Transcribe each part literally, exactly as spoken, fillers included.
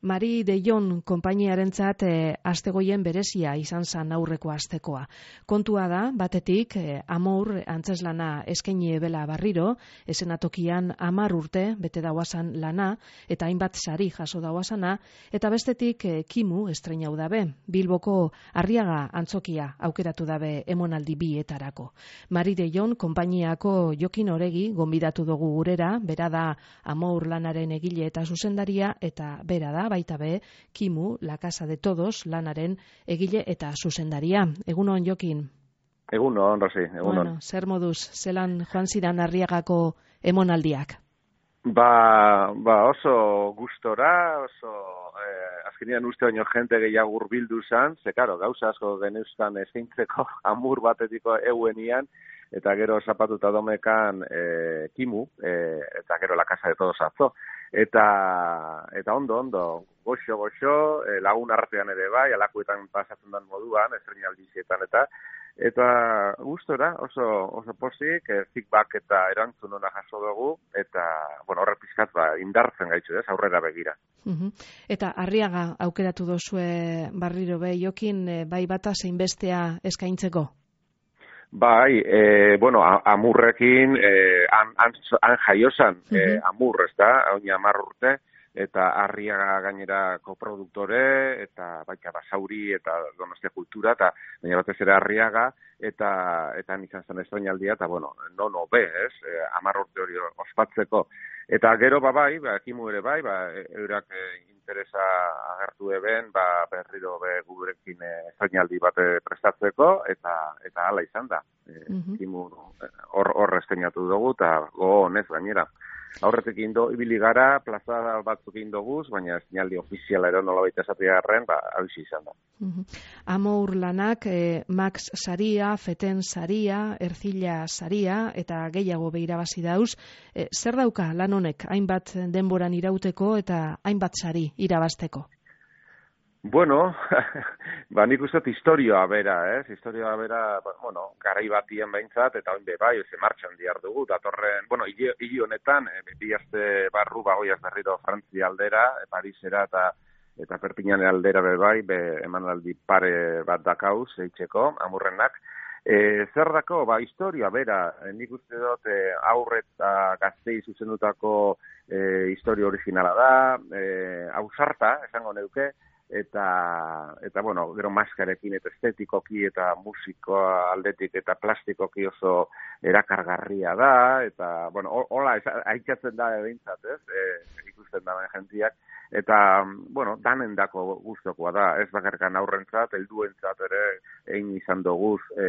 Mari de Jon konpainiarentzat e, astegoien berezia izan zen aurreko astekoa. Kontua da, batetik, e, Amor antzeslana eskaini ebela barriro, esenatokian hamar urte bete dauazan lana, eta hainbat sari jaso dauazana, eta bestetik e, Kimu estreinau dabe, Bilboko Arriaga antzokia aukeratu dabe emonaldi bietarako. Mari de Jon konpainiako Jokin Oregi gonbidatu dugu gurera, bera da Amor lanaren egile eta zuzendaria, eta bera da baita be, Kimu, La Casa de Todos, lanaren egile eta zuzendaria. Egunon, Jokin? Egunon, Rosi, egunon. Bueno, zer moduz, zelan joan ziran Arriagako emonaldiak? Ba, ba oso gustora, oso, eh, azkenean uste baino jente gehiago hurbildu zan, ze karo, gauza asko geneuzkan eskaintzeko Amur batetiko euenian, eta gero zapatuta domekan eh, Kimu, eh, eta gero La Casa de Todos atzo. Eta, eta ondo, ondo, goxo, goxo, eh, lagun artean ere bai, alakuetan pasatzen den moduan, estreinaldizietan eta, eta gustora, oso, oso pozik, eh, feedback eta erantzun ona jaso dugu, eta, bueno, horre pizkat, ba, indartzen gaitzu, ez, aurrera begira. Uh-huh. Eta Arriaga aukeratu dozue barriro be, Jokin, eh, bai bata zein bestea eskaintzeko? Bai, e, bueno, Amurrekin e, han, han, han jaiozan uh-huh. e, Amur, ez da, oin hamar urte, eta Arriaga gainera koproduktore, eta baita Basauri, eta Donostia Kultura, eta baina batez ere Arriaga, eta eta izan zen estreinaldia, eta bueno, no, no, be, ez, e, hamar urte hori ospatzeko. Eta gero, ba, bai, ba, Kimu ere bai, ba, eurak e, interesa agertu eben, ba, berriro be gurekin estreinaldi bat prestatzeko, eta eta hala izan da. E, uh-huh. Kimu hor hor estreinatu dugu, eta go honez gainera. Aurretik indo, ibili gara, plaza batzuk indoguz, baina estreinaldi ofiziala ero nola baita esategarren, ba, hausi izan da. Uh-huh. Amor lanak, eh, Max saria, Feten saria, Ercilla saria, eta gehiago behirabazi dauz. Eh, zer dauka lan honek, hainbat denboran irauteko eta hainbat sari irabazteko? Bueno, ba, nik uste historioa bera, ez? Historioa bera, bueno, garai batien behintzat, eta oin be bai, ze martxan diar dugu, datorren, bueno, hili honetan, e, bi aste barru bagoiaz berriro Frantzia aldera, e, Parisera eta eta Perpignan aldera be bai, be emanaldi pare bat dakauz, eitzeko, Amurrenak. E, zer dako, ba, historia bera, e, nik uste dut e, aurre eta gaztei zuzendutako e, historia originala da, e, ausarta, esango neuke, eta eta bueno, gero maskarekin eta estetikoki eta musikoa aldetik eta plastikoki oso erakargarria da, eta bueno, hola aitzatzen da behintzat, ez? E, ikusten da jentiak, eta bueno, danendako gustokoa da, ez bakarkan aurrentzat, helduentzat ere egin izan doguz e,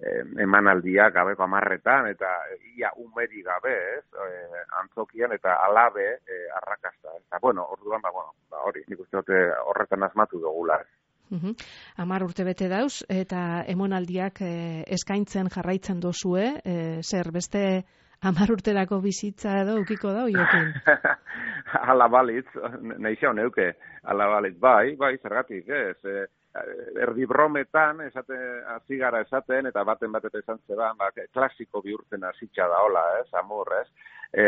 e, emanaldiak gabeko hamarretan, eta ia umeri gabe, ez? E, antzokian eta alabe e, arrakasta. Eta bueno, orduan, ba, bueno, ba, hori, nik uste dute horretan asmatu dugula. Uh-huh. Amar urte bete dauz, eta emonaldiak eh, eskaintzen jarraitzen dozue, eh, zer, beste hamar urterako bizitza edo ukiko da, Jokin? Ala balitz, nahi xeo neuke, ala balitz, bai, bai, zergatik, ez, e, erdi brometan, esate, azigara esaten, eta baten batet esan zeban, ba, klasiko bihurtzen hasitza da, hola, ez, Amor, ez. E,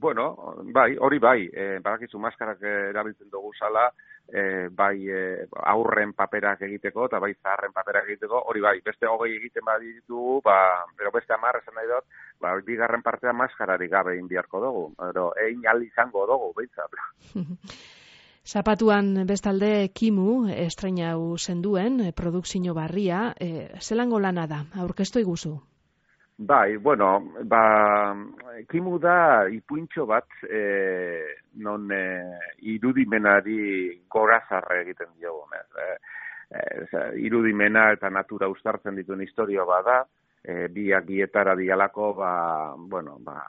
bueno, bai, hori bai, e, badakizu maskarak erabiltzen dugu zala, e, bai e, aurren paperak egiteko, eta bai zaharren paperak egiteko, hori bai, beste hogei egiten baditu, ba, pero beste hamar esan nahi dut, ba, bigarren partea maskararik gabe egin biharko dugu, pero egin al izango dugu, behintzat. Zapatuan bestalde Kimu estreinau zenduen, produkzio barria, e, zelango lana da, aurkeztu iguzu? Bai, bueno, ba, Kimu da ipuintxo bat e, non e, irudimenari gorazarre egiten diogu. E, e, irudimena eta natura uztartzen dituen historio bada, e, biak bietara dialako, ba, bueno, ba,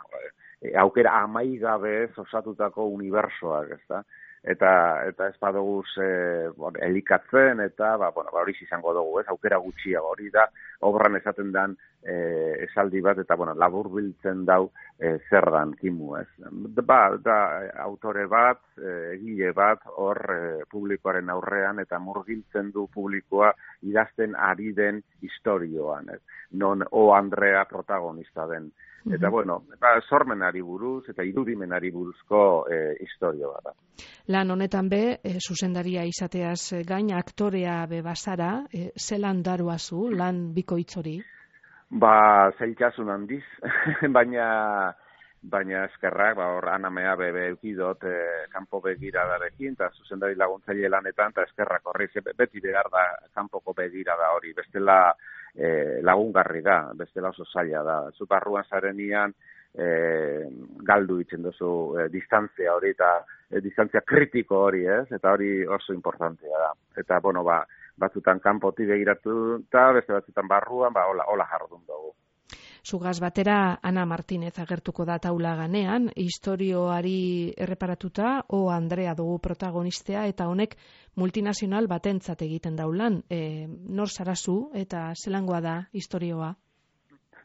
e, aukera amaigabez osatutako unibersoak, ez da? Eta eta ez badoguz e, bon, elikatzen, eta ba, bueno, ba, hori izango dugu, ez, aukera gutxiago, hori da, obran esaten dan e, esaldi bat, eta bueno, labur biltzen dau e, zer dan Kimu, ez. Ba, da, autore bat, e, egile bat, hor e, publikoaren aurrean, eta murgiltzen du publikoa idazten ari den historioan, ez. Non O Andrea protagonista den. Eta, bueno, ba, sormenari buruz eta irudimenari buruzko e, historio bat da. Lan honetan be, e, zuzendaria izateaz gain, aktorea be bazara, e, zelan daruazu lan bikoitz hori? Ba, zailtasun handiz, baina baina eskerrak, ba, hor anamea bebe eukidot e, kanpo begiradarekin, eta zuzendari laguntzaile lanetan, eta eskerrak horri, beti behar da kanpoko begirada hori, bestela e, lagungarri da, bestela oso zaila da. Zu barruan zarenian, e, galdu itzen duzu e, distantzia hori, eta e, distantzia kritiko hori, ez? Eta hori oso importantea da. Eta, bueno, ba, batzutan kanpoti begiratu, eta beste batzutan barruan, ba, hola, hola jardun dugu. Zugaz batera Ana Martinez agertuko da taula ganean, istorioari erreparatuta, O Andrea dugu protagonistea, eta honek multinazional batentzat egiten daulan. E, nor zarazu eta zelangoa da istorioa?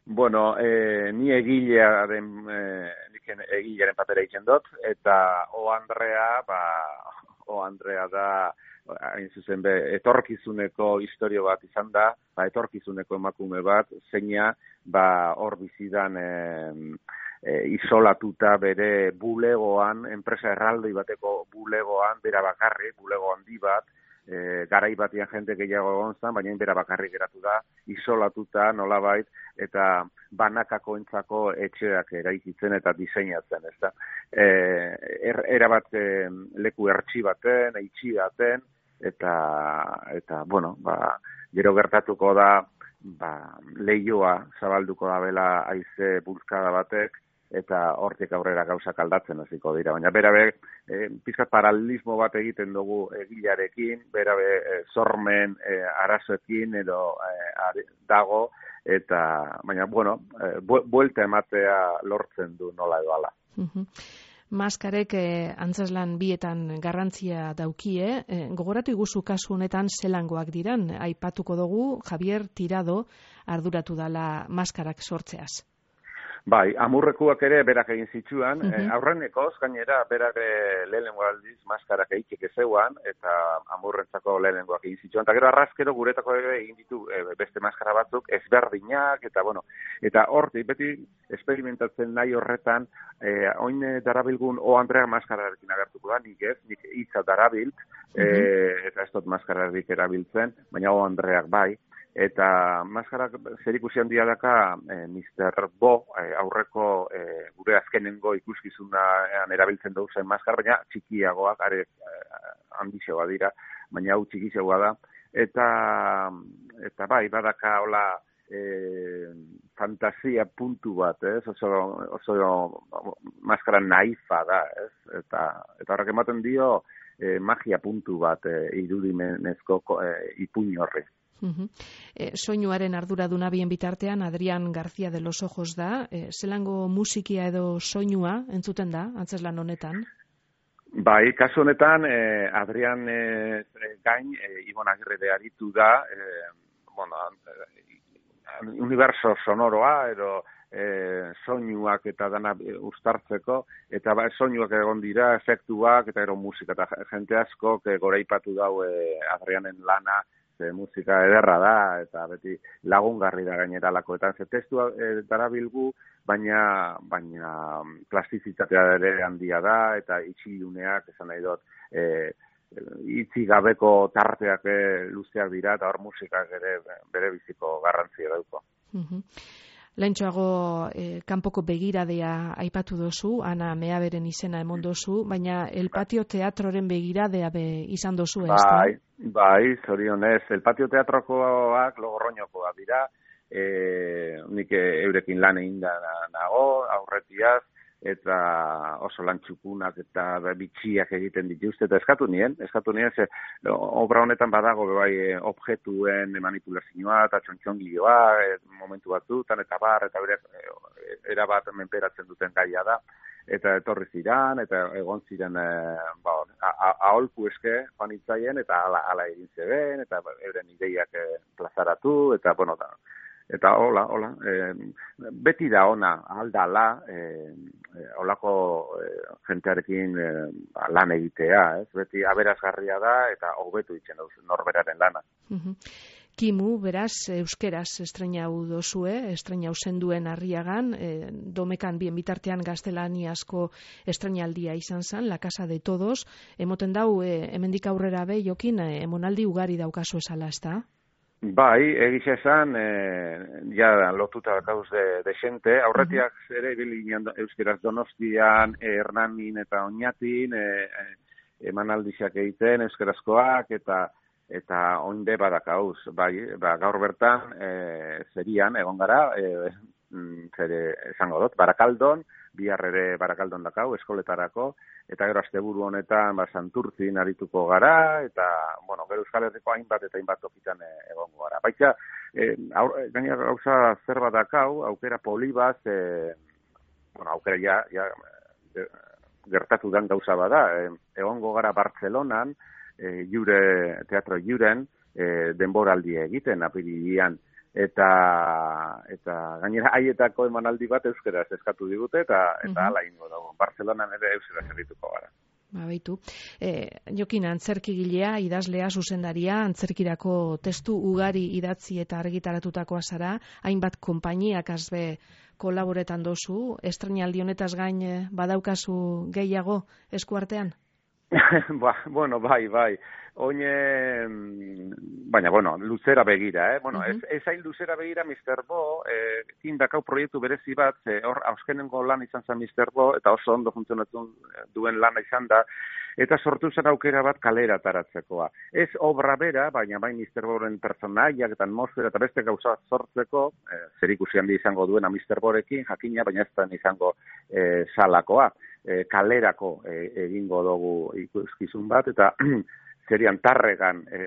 Bueno, e, ni egilearen, e, nik egilearen papera egiten dut, eta O Andrea, ba, O Andrea da, hain zuzen be, etorkizuneko istorio bat izan da, ba, etorkizuneko emakume bat, zeina, ba, hor bizidan e, e, isolatuta bere bulegoan, enpresa erraldoi bateko bulegoan, bera bakarri, bulego handi bat, e, garai batian jente gehiago egon zen, baina bera bakarri geratu da, isolatuta nolabait, eta banakako entzako etxeak eraikitzen eta diseinatzen, ez da. E, er, erabat e, leku ertsi baten, eitxi baten, eta, eta bueno, ba, gero gertatuko da, ba, lehioa zabalduko da bela haize bulkada batek, eta hortik aurrera gauzak aldatzen hasiko dira. Baina berabe, e, pizkat paralelismo bat egiten dugu egilarekin, berabe e, sormen e, arazoekin edo e, dago, eta, baina, bueno, e, buelta ematea lortzen du nola edo ala. Uh-huh. Maskarek eh, antzeslan bietan garrantzia daukie, eh, gogoratu iguzu kasu honetan zelangoak diran, aipatuko dugu Javier Tirado arduratu dala maskarak sortzeaz. Bai, amurrekuak ere berak egin zitsuan, uh-huh. eh, aurrenekoz gainera berak lehenengo aldiz maskarak egiteke zeuan, eta amurrentzako lehenengoak egin zitsuan, eta gero arrazkero guretako ere egin ditu eh, beste maskara batzuk ezberdinak, eta bueno, eta hortik beti esperimentatzen nahi horretan, eh, oin darabilgun O Andrea maskararekin agertuko da, nik ez, nik hitza darabilt, uh-huh. eh, eta ez dut maskararik erabiltzen, baina O Andreak bai, eta maskarak zerikusi handia daka e, mister Bo e, aurreko e, gure azkenengo ikuskizunean erabiltzen dugu zen maskar, baina txikiagoak, are e, handixoa dira, baina hau txikiagoa da, eta eta bai, badaka hola e, fantasia puntu bat, ez? Oso, oso maskara naifa da, ez? Eta, eta horrek ematen dio e, magia puntu bat e, irudimenezko e, ipuin horri. Uh-huh. E, soinuaren arduraduna bien bitartean Adrián García de los Ojos da, e, zelango musikia edo soinua entzuten da, antzeslan honetan? Bai, kasu honetan, eh, Adrián eh, gain, eh, Ibon Agirre aritu da, eh, bueno, eh, universo sonoroa, edo eh, soinuak eta dana uztartzeko, eta ba, soinuak egon dira, efektuak, eta ero musika, eta jente asko, que goraipatu dau eh, Adrianen lana, ze musika ederra da, eta beti lagungarri da gaineralako, eta ze testua e, darabilgu, baina, baina plastizitatea ere handia da, eta itxiluneak, esan nahi dut, e, itzi gabeko tarteak e, luzeak dira, eta hor musikak ere bere biziko garrantzia dauko. Uh-huh. Lehentxoago eh, kanpoko begiradea aipatu dozu, Ana Meaberen izena emon dozu, baina El Patio Teatroren begiradea be izan dozu, ez da? Bai, bai, zorionez, El Patio Teatrokoak Logorroñokoak dira, e, nik eurekin lan egin da nago, aurretiaz, eta oso lan txukunak eta bitxiak egiten dituzte, eta eskatu nien, eskatu nien, ze obra honetan badago bai objektuen manipulazioa eta txontxongilioa, e, momentu batzutan, eta bar, eta bere erabat menperatzen duten gaia da, eta etorri ziran, eta egon ziren e, ba, aholku eske joan itzaien, eta ala, ala egin zeben, eta euren ideiak e, plazaratu, eta bueno, da, eta hola, hola, e, beti da ona, aldala, e, e, olako e, jentearekin e, lan egitea, ez? Beti aberazgarria da eta hobetu itzen dauz norberaren lana. Uh-huh. Kimu, beraz, euskeraz estrenau dozue, estrenau zenduen Arriagan, e, domekan bien bitartean gaztelaniazko estrenaldia izan zen, La Casa de Todos, emoten dau, e, hemendik aurrera be, Jokin, e, emonaldi ugari daukazu esala, ez da? Bai, egiz esan, e, ja lotuta dakauz de, de xente, aurretiak uh-huh. ere bilinean euskeraz Donostian, e, Hernanin eta Oñatin, e, e, emanaldiak egiten euskerazkoak, eta eta oinde badakauz, bai, ba, gaur bertan e, zerian, egon gara, e, zere esango dut, Barakaldon, bihar ere Barakaldon dakau, eskoletarako, eta gero asteburu honetan, ba, Santurtzin arituko gara, eta, bueno, gero Euskal Herriko hainbat eta hainbat tokitan e, egongo gara. Baita, e, gaina gauza zer badakau, aukera polibaz, e, bueno, aukera ja, ja gertatu den gauza bada, e, egongo gara Bartzelonan, E, jure, teatro juren e, denboraldi egiten apirilean eta eta gainera haietako emanaldi bat euskeraz eskatu digute eta eta hala ingo dago. Bartzelonan ere euskaraz errituko gara. Ba, baitu. E, Jokin, antzerkigilea, idazlea, zuzendaria, antzerkirako testu ugari idatzi eta argitaratutakoa zara, hainbat konpainiak azbe kolaboretan dozu, estrenaldi honetaz gain badaukazu gehiago eskuartean? ba, bueno, bai, bai. Oine, baina, bueno, luzera begira, eh? Bueno, uh-huh. ez, ez hain luzera begira mister Bo, eh, indakau proiektu berezi bat, eh, hor, auskenengo lan izan zen mister Bo, eta oso ondo funtzionatu duen lana izan da, eta sortu zen aukera bat kalera taratzekoa. Ez obra bera, baina bai mister Boren personaiak eta atmosfera eta beste gauza sortzeko, eh, zer ikusi handi izango duena mister Borekin, jakina, baina ez da izango eh, salakoa. E, kalerako e, egingo dugu ikuskizun bat, eta zerian Tarregan e,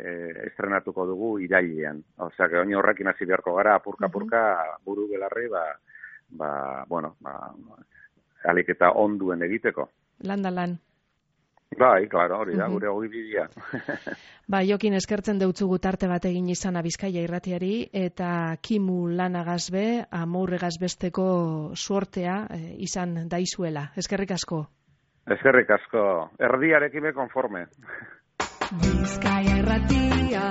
estrenatuko dugu irailean. Osea, que oin horrekin hasi beharko gara, apurka-apurka, buru belarri, ba, ba, bueno, ba, alik eta onduen egiteko. Lan da lan. Bai, klaro, hori da, gure hori bidea. Ba, Jokin, eskertzen deutzugu tarte bat egin izana Bizkaia irratiari, eta Kimu lanagazbe, amurregaz besteko suortea e, izan daizuela. Eskerrik asko. Eskerrik asko. Erdiarekime konforme. Bizkaia irratia.